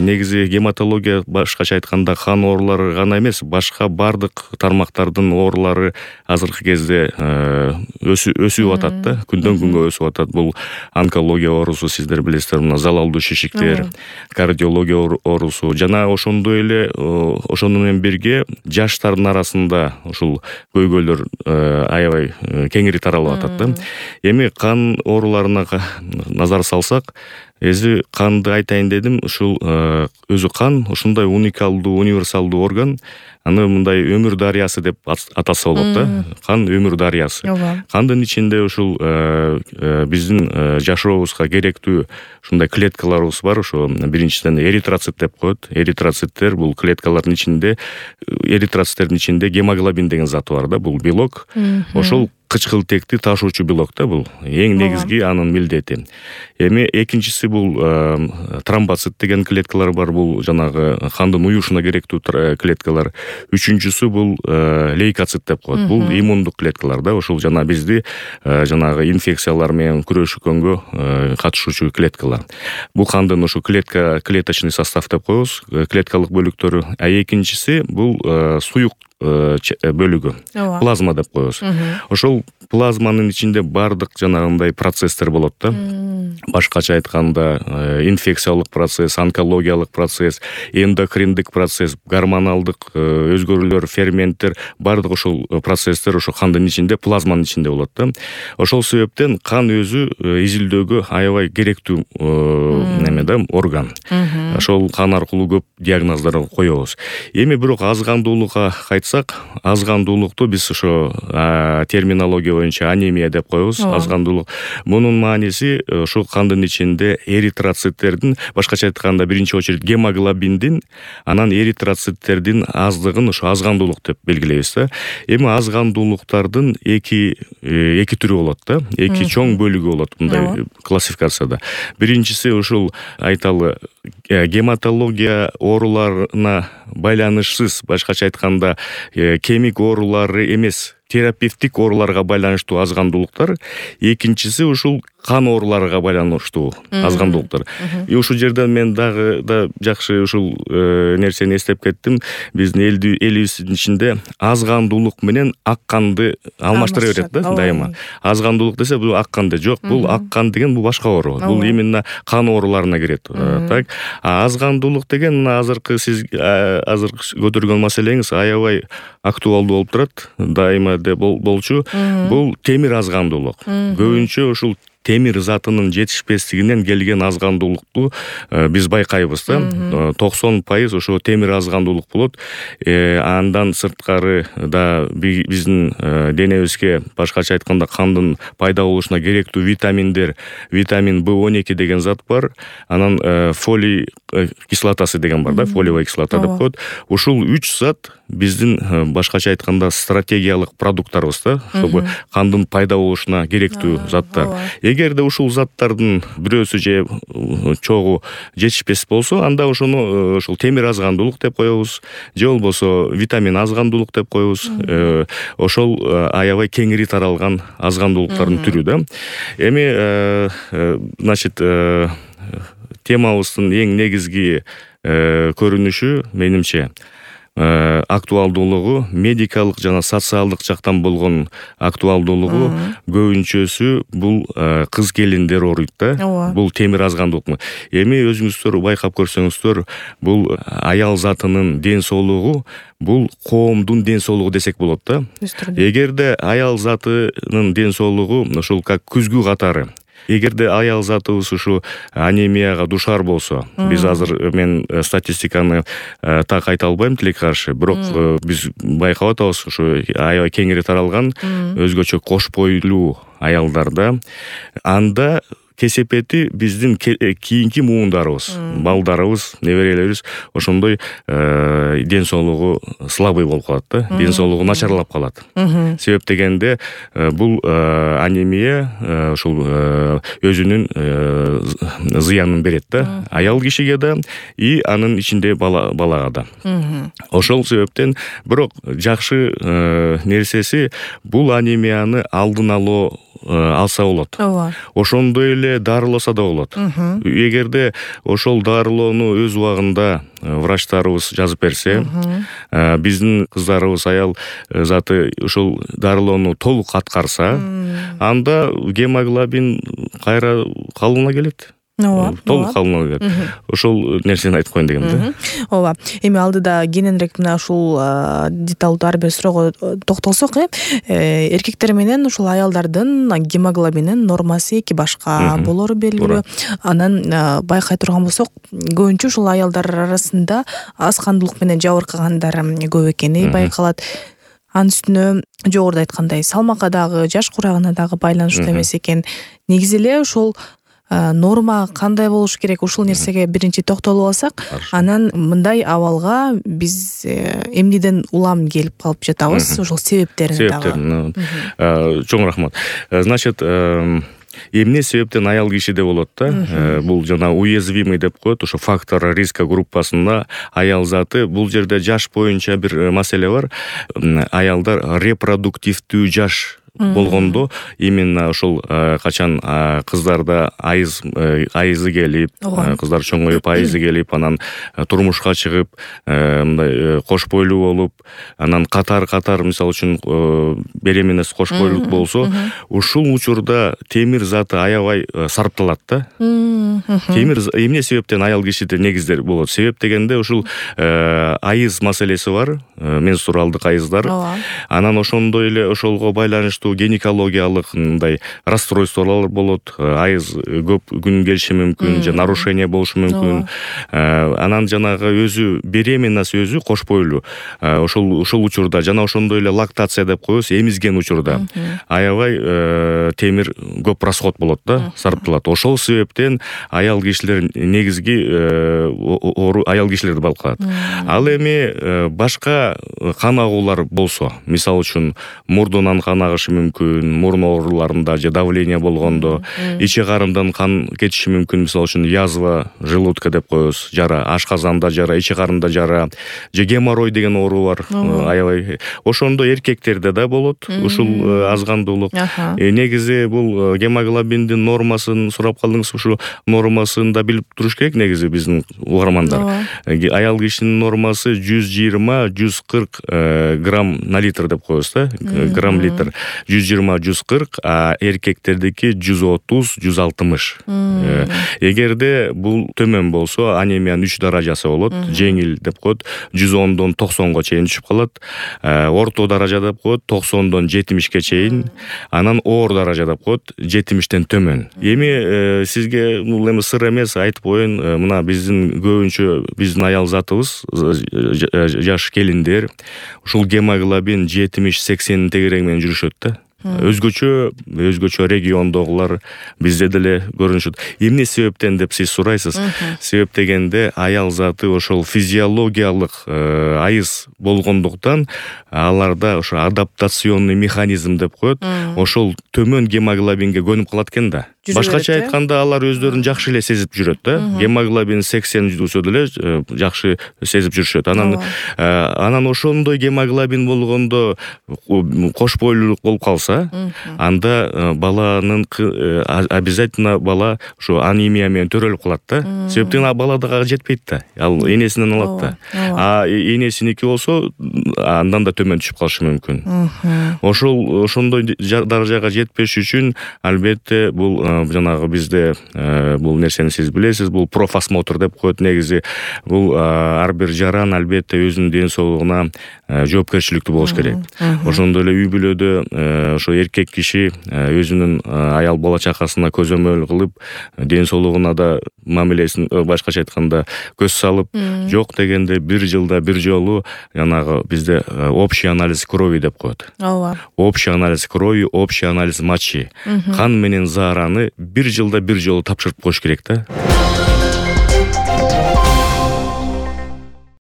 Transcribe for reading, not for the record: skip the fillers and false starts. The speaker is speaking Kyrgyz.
негизи гематология башкача айтканда кан оорулары гана эмес, башка бардык тармактардын оорулары азыркы кезде өсүп атат да, күндөн күнгө өсүп атат. Бул онкология оорусу, сиздер билесиздер, мына залалдуу шишиктер, кардиология оорусу жана ошондой эле ошону менен бирге жаштардын арасында ушул көйгөйлөр аябай кеңири таралып атат да. Эми кан ооруларына назар салсак, эзи канды айтайын дедим. Ушул өзү кан ушундай уникалдуу, универсалдуу орган. Аны мындай өмүр дарыясы деп атаса болот да. Кан өмүр дарыясы. Кандын ичинде ушул биздин жашообузга керектүү ушундай клеткаларыбыз бар. Ошо биринчиден эритроцит деп коет. Эритроциттер бул клеткалардын ичинде, эритроциттердин ичинде гемоглобин деген зат бар да. Бул белок. Ошол кычкылтекти ташуучу белок да, бул эң негизги анын милдети. Эми экинчиси бул тромбоцит деген клеткалар бар. Бул жанагы кандын уюшуна керектүү клеткалар. Үчүнчүсү бул лейкоцит деп коет. Бул иммундук клеткалар да. Ошол жана бизди жанагы инфекциялар менен күрөшкөнгө катышуучу клеткалар. Бул кандын ушу клеточный состав деп коебуз, клеткалык бөлүктөрү. А экинчиси бул суюк бөлүгү, плазма деп коебуз. Ошол плазманын ичинде бардык жанагындай процесстер болот да. Башкача айтканда инфекциялык процесс, онкологиялык процесс, эндокриндик процесс, гормоналдык өзгөрүүлөр, ферменттер, бардык ошол процесстер ошо кандын ичинде, плазманын ичинде болот да. Ошол себептен кан өзү изилдөөгө аябай керектүү неме да, орган. Ошол кан аркылуу көп диагноздор коебуз. Эми бирок азгандуулукка кайтсак, азгандуулукту биз ошо терминология боюнча анемия деп коебуз. Азгандуулук. Мунун мааниси ошо кандын ичинде эритроциттердин, башкача айтканда биринчи очередь гемоглобиндин, анан эритроциттердин аздыгын ошо азгандуулук деп белгилейбиз да. Эми азгандуулуктардын эки түрү болот да. Эки чоң бөлүгү болот мындай классификацияда. Биринчиси ушул айталы гематология ооруларына байланышсыз, башкача айтканда кемик оорулары эмес, терапевтик ооруларга байланыштуу азгандуулуктар. Экинчиси ушул кан ооруларга байланыштуу азгандуулуктар. Ушул жерден мен дагы да жакшы ушул нерсени эстеп кеттим. Биздин элибиздин ичинде азгандуулук менен ак канды алмаштыра берет да дайыма. Азгандуулук десе бул ак кан жок, бул ак кан деген бул башка оору. Бул именно кан ооруларына кирет. Так. Азгандуулук деген азыркы сиз азыр көтөргөн маселеңиз аябай актуалдуу болуп турат. Дайыма болчу. Бул темир азгандуулук. Көбүнчө ушул темир затынын жетишпестигинен келген азгандуулукту биз байкайбыз да. 90% ошо темир азгандуулук болот. Андан сырткары да биздин денебизге башкача айтканда кандын пайда болушуна керектүү витаминдер, витамин B12 деген зат бар. Анан фолий кислотасы деген бар да, фолиевая кислота деп коет. Ушул 3 зат биздин башкача айтканда стратегиялык продукттарыбыз да, чтобы кандын пайда болушуна керектүү заттар. Эгерде ушул заттардын бирөөсү же чогуу жетишпес болсо, анда ошону ушул темир азгандуулук деп коебуз, же болбосо витамин азгандуулук деп коебуз. Ошол аябай кеңири таралган азгандуулуктардын түрү да. Эми значит темабыздын эң негизги көрүнүшү менимче актуалдуулугу, медикалык жана социалдык жактан болгон актуалдуулугу көбүнчөсү бул кыз келиндер ооруйт да. Бул темир азгандуулук. Эми өзүңүздөр байкап көрсөңүздөр, бул аял затынын ден соолугу, бул коомдун ден соолугу десек болот да. Эгерде аял затынын ден соолугу ошол как күзгү катары, эгерде аял затыбыз ушу анемияга душар болсо, биз азыр мен статистиканы так айта албайм тилекке каршы, бирок биз байкап атабыз, ушу аябай кеңири таралган өзгөчө кош бойлуу аялдарда, анда кесепети биздин кийинки муундарыбыз, балдарыбыз, неберелерибиз ошондой ден соолугу слабый болуп калат да, ден соолугу начарлап калат. Себеп дегенде бул анемия ушул өзүнүн зыянын берет да, аял кишиге да и анын ичинде балага да. Ошол себептен бирок жакшы нерсеси, бул анемияны алдын алуу алса болот. ооба. Ошондой эле дарыласа да болот. Эгерде ошол дарылоону өз убагында врачтарыбыз жазып берсе, биздин кыздарыбыз, аял заты ошол дарылоону толук аткарса, анда гемоглобин кайра калыбына келет. Толук калыбына келет. Ошол нерсени айтып коеюн дегем да. Ооба. Эми алдыда кененирээк мына ушул деталдуу ар бир суроого токтолсок, эркектер менен ушул аялдардын гемоглобинин нормасы эки башка болору белгилүү. Анан байкай турган болсок, көбүнчө ушул аялдар арасында аз кандуулук менен жабыркагандар көп экени байкалат. Анын үстүнө жогоруда айткандай салмакка дагы, жаш курагына дагы байланыштуу эмес экен. Негизи эле ушул норма кандай болуш керек, ушул нерсеге биринчи токтолуп алсак, анан мындай абалга биз эмнеден улам келип калып жатабыз, ошол себептерин дагы. Чоң рахмат. Значит, эмне себептен аял кишиде болот да? Бул жана уязвимый деп коет, ошо фактор риска группасында аял заты. Бул жерде жаш боюнча бир маселе бар. Аялдар репродуктивдүү жаш болгондо именно ошол качан кыздарда айызы келип, кыздар чоңоюп айызы келип, анан турмушка чыгып, мындай кош бойлуу болуп, анан катар мисалы үчүн беременность кош бойлуулук болсо, ушул учурда темир заты аябай сарпталат да. Темир эмне себептен аял кишиде негиздер болот? Себеп дегенде ушул айыз маселеси бар, менструалдык айыздар. Анан ошондой эле ошолго байланыштуу гинекологиялык мындай расстройстволор болот, айыз көп күн келиши мүмкүн, же нарушение болушу мүмкүн. Анан жанагы өзү беременность өзү кош бойлуу. Ошол учурда жана ошондой эле лактация деп коебуз, эмизген учурда аябай темир көп расход болот да, сарпталат. Ошол себептен аял кишилер негизги аял кишилерди байкалат. Ал эми башка кан агуулар болсо, мисалы үчүн мурдунан кан агышы мүмкүн, мурун ооруларында же давление болгондо, ичи карындан кан кетиши мүмкүн, мисалы үчүн язва желудка деп коебуз, жара, ашказанда жара, ичи карында жара, же геморрой деген оору бар, аябай. Ошондо эркектерде да болот ушул азгандуулук. Негизи бул гемоглобиндин нормасын сурап калдыңыз, ушул нормасын да билип туруш керек негизи биздин угармандар. Аял кишинин нормасы 120-140 грамм на литр деп коебуз да, грамм литр. 120-140, а эркектердики 130-160. Эгерде бул төмөн болсо, анемиянын 3 даражасы болот. Жеңил деп коет, 110дон 90го чейин түшүп калат. Орто даража деп коет, 90дон 70ке чейин. Анан оор даража деп коет, 70тен төмөн. Эми сизге бул эми сыр эмес, айтып коеюн, мына биздин көбүнчө биздин аял затыбыз, жаш келиндер, ушул гемоглобин 70-80 тегереги менен жүрүшөт да. Өзгөчө региондогулар бизде деле көрүнүшөт. Эмне себептен деп сиз сурайсыз? Себеп дегенде аял заты ошол физиологиялык айыз болгондуктан аларда ошо адаптационный механизм деп коет, ошол төмөн гемоглобинге көнүп калат экен да. Башкача айтканда алар өздөрүн жакшы эле сезип жүрөт да. Гемоглобин 80 жүрсө деле жакшы сезип жүрүшөт. Анан ошондой гемоглобин болгондо кош бойлуулук болуп калса, анда баланын обязательно бала ошо анемия менен төрөлүп калат да. Себептен бала дагы жетпейт да. Ал энесинен алат да. А энесиники болсо андан да төмөн түшүп калышы мүмкүн. Ошондой даражага жетпеш үчүн албетте бул жанагы бизде бул нерсени сиз билесиз, бул профосмотр деп коет. Негизи бул ар бир жаран албетте өзүнүн ден соолугуна жоопкерчиликтүү болуш керек. Ошондой эле үй бүлөдө ошо эркек киши өзүнүн аял бала чакасына көзөмөл кылып, ден соолугуна да мамилесин башкача айтканда көз салып, жок дегенде бир жылда бир жолу жанагы бизде общий анализ крови деп коет. Общий анализ крови, общий анализ мочи. Кан менен заараны бир жылда бир жолу тапшырып коюш керек да.